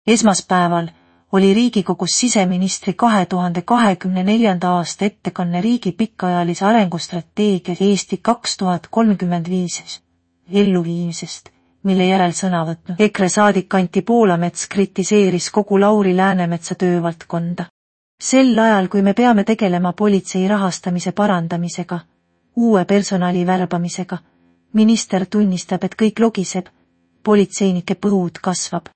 Esmaspäeval oli Riigikogus siseministri 2024. aasta ettekanne riigi pikaajalise arengustrateegia Eesti 2035 elluviimisest, mille järel sõna võtnud EKRE saadik Anti Poolamets kritiseeris kogu Lauri Läänemetsa töövaldkonda. Sel ajal, kui me peame tegelema politsei rahastamise parandamisega, uue personali värbamisega, minister tunnistab, et kõik logiseb, politseinike põud kasvab.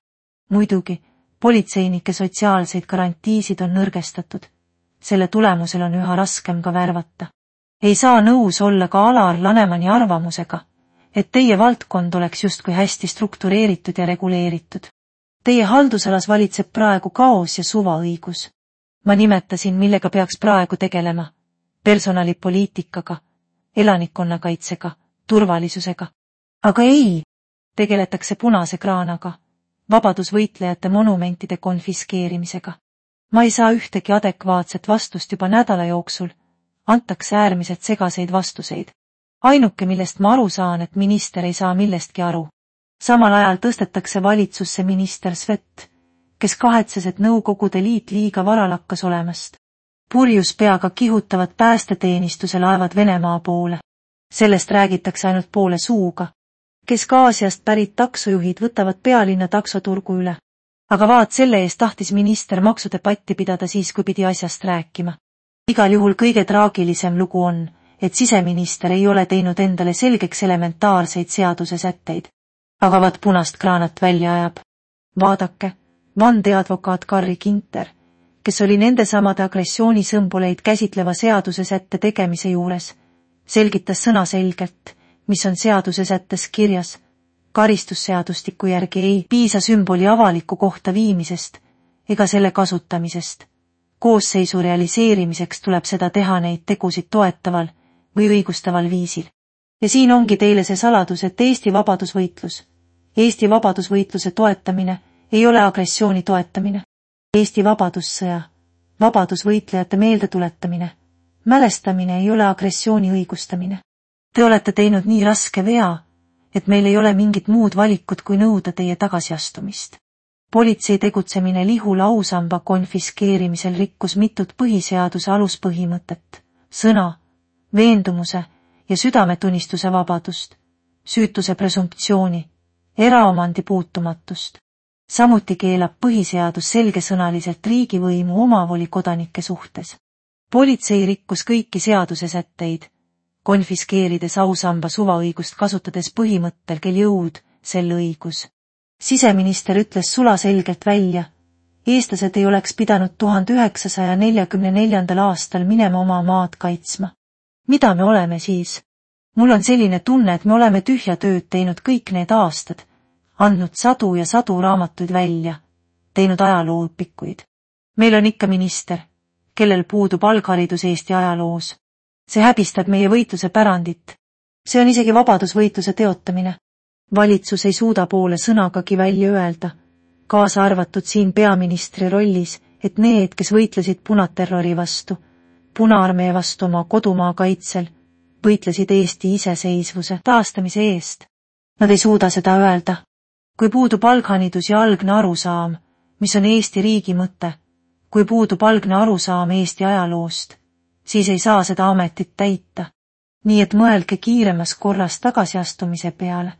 Muidugi, politseinike sotsiaalseid garantiisid on nõrgestatud. Selle tulemusel on üha raskem ka värvata. Ei saa nõus olla ka Alar Lanemani arvamusega, et teie valdkond oleks justkui hästi struktureeritud ja reguleeritud. Teie haldusalas valitseb praegu kaos ja suvaõigus. Ma nimetasin, millega peaks praegu tegelema. Personalipoliitikaga, elanikkonnakaitsega, turvalisusega. Aga ei, tegeletakse punase kraanaga, vabadusvõitlejate monumentide konfiskeerimisega. Ma ei saa ühtegi adekvaatset vastust juba nädala jooksul, antakse äärmiselt segaseid vastuseid. Ainuke, millest ma aru saan, et minister ei saa millestki aru. Samal ajal tõstetakse valitsusse minister Svet, kes kahetses, et Nõukogude Liit liiga vara lakkas olemast. Purjus peaga kihutavad päästeteenistuse laevad Venemaa poole. Sellest räägitakse ainult poole suuga. Kesk-Aasiast pärit taksojuhid võtavad pealinna taksoturgu üle. Aga vaat selle eest tahtis minister maksudebatti pidada siis, kui pidi asjast rääkima. Igal juhul kõige traagilisem lugu on, et siseminister ei ole teinud endale selgeks elementaarseid seaduse sätteid. Aga vaat punast kraanat välja ajab. Vaadake, vandeadvokaat Carri Ginter, kes oli nende samade agressioonisõmboleid käsitleva seaduse sätte tegemise juures, selgitas sõnaselgelt, mis on seaduse sättes kirjas. Karistusseadustiku järgi ei piisa sümboli avaliku kohta viimisest ega selle kasutamisest. Koosseisu realiseerimiseks tuleb seda teha neid tegusid toetaval või õigustaval viisil. Ja siin ongi teile see saladus, et Eesti vabadusvõitluse toetamine ei ole agressiooni toetamine. Eesti vabadussõja, vabadusvõitlejate meeldetuletamine, mälestamine ei ole agressiooni õigustamine. Te olete teinud nii raske vea, et meil ei ole mingit muud valikut kui nõuda teie tagasiastumist. Politsei tegutsemine Lihula ausamba konfiskeerimisel rikkus mitut põhiseaduse aluspõhimõtet, sõna, veendumuse ja südametunnistuse vabadust, süütuse presumptsiooni, eraomandi puutumatust. Samuti keelab põhiseadus selgesõnaliselt riigivõimu omavoli kodanike suhtes. Politsei rikkus kõiki seaduse sätteid, konfiskeerides ausamba suvaõigust kasutades põhimõttel, kel jõud, sel õigus. Siseminister ütles sulaselgelt välja, eestlased ei oleks pidanud 1944. aastal minema oma maad kaitsma. Mida me oleme siis? Mul on selline tunne, et me oleme tühja tööd teinud kõik need aastad, andnud sadu ja sadu raamatuid välja, teinud ajalooõpikuid. Meil on ikka minister, kellel puudub algharidus Eesti ajaloos. See häbistab meie võitluse pärandit. See on isegi vabadusvõitluse teotamine. Valitsus ei suuda poole sõnagagi välja öelda, kaasa arvatud siin peaministri rollis, et need, kes võitlesid punaterrori vastu, Punaarmee vastu oma kodumaa kaitsel, võitlesid Eesti iseseisvuse taastamise eest. Nad ei suuda seda öelda. Kui puudub algharidus ja algne arusaam, mis on Eesti riigi mõte, kui puudub algne arusaam Eesti ajaloost, siis ei saa seda ametit täita. Nii et mõelge kiiremas korras tagasiastumise peale,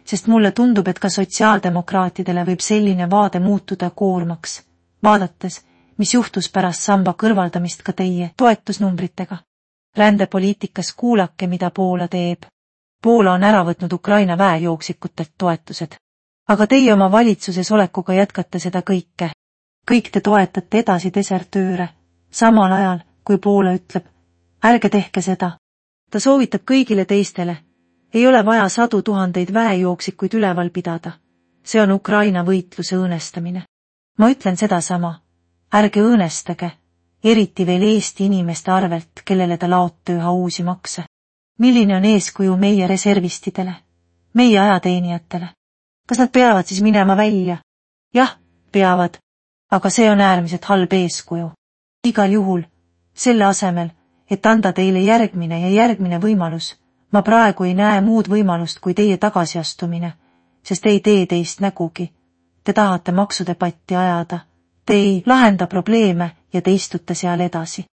sest mulle tundub, et ka sotsiaaldemokraatidele võib selline vaade muutuda koormaks, vaadates, mis juhtus pärast samba kõrvaldamist ka teie toetusnumbritega. Rändepoliitikas kuulake, mida Poola teeb. Poola on ära võtnud Ukraina väejooksikutelt toetused. Aga teie oma valitsuses olekuga jätkate seda kõike. Kõik te toetate edasi desertööre, samal ajal, kui Poola ütleb, ärge tehke seda. Ta soovitab kõigile teistele. Ei ole vaja 100 000 väejooksikuid üleval pidada. See on Ukraina võitluse õõnestamine. Ma ütlen sedasama. Ärge õõnestage, eriti veel Eesti inimeste arvelt, kellele ta laote üha uusi makse. Milline on eeskuju meie reservistidele, meie ajateenijatele? Kas nad peavad siis minema välja? Jah, peavad, aga see on äärmiselt halb eeskuju. Igal juhul, selle asemel, et anda teile järgmine võimalus, ma praegu ei näe muud võimalust kui teie tagasiastumine, sest ei tee teist nägugi. te tahate maksudebatti ajada, te ei lahenda probleeme ja te istute seal edasi.